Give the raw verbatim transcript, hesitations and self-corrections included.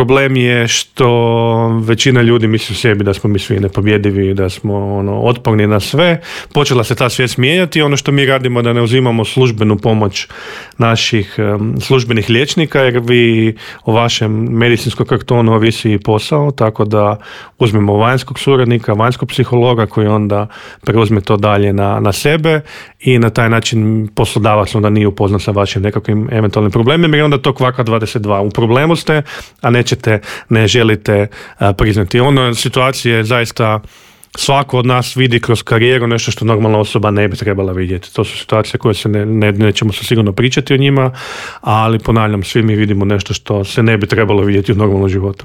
problem je što većina ljudi misli u sebi da smo mi svi nepobjedivi, da smo ono, otporni na sve. Počela se ta svijest mijenjati. Ono što mi radimo da ne uzimamo službenu pomoć naših um, službenih liječnika, jer vi o vašem medicinskom kartonu ovisi posao, tako da uzmemo vanjskog suradnika, vanjskog psihologa koji onda preuzme to dalje na, na sebe i na taj način poslodavac onda nije upoznat sa vašim nekakvim eventualnim problemima i onda to kvaka dvadeset dva. U problemu ste, a nećete, ne želite a, priznati. Ono situacije zaista svako od nas vidi kroz karijeru nešto što normalna osoba ne bi trebala vidjeti. To su situacije koje se ne, ne, nećemo se sigurno pričati o njima, ali ponavljam, svi mi vidimo nešto što se ne bi trebalo vidjeti u normalnom životu.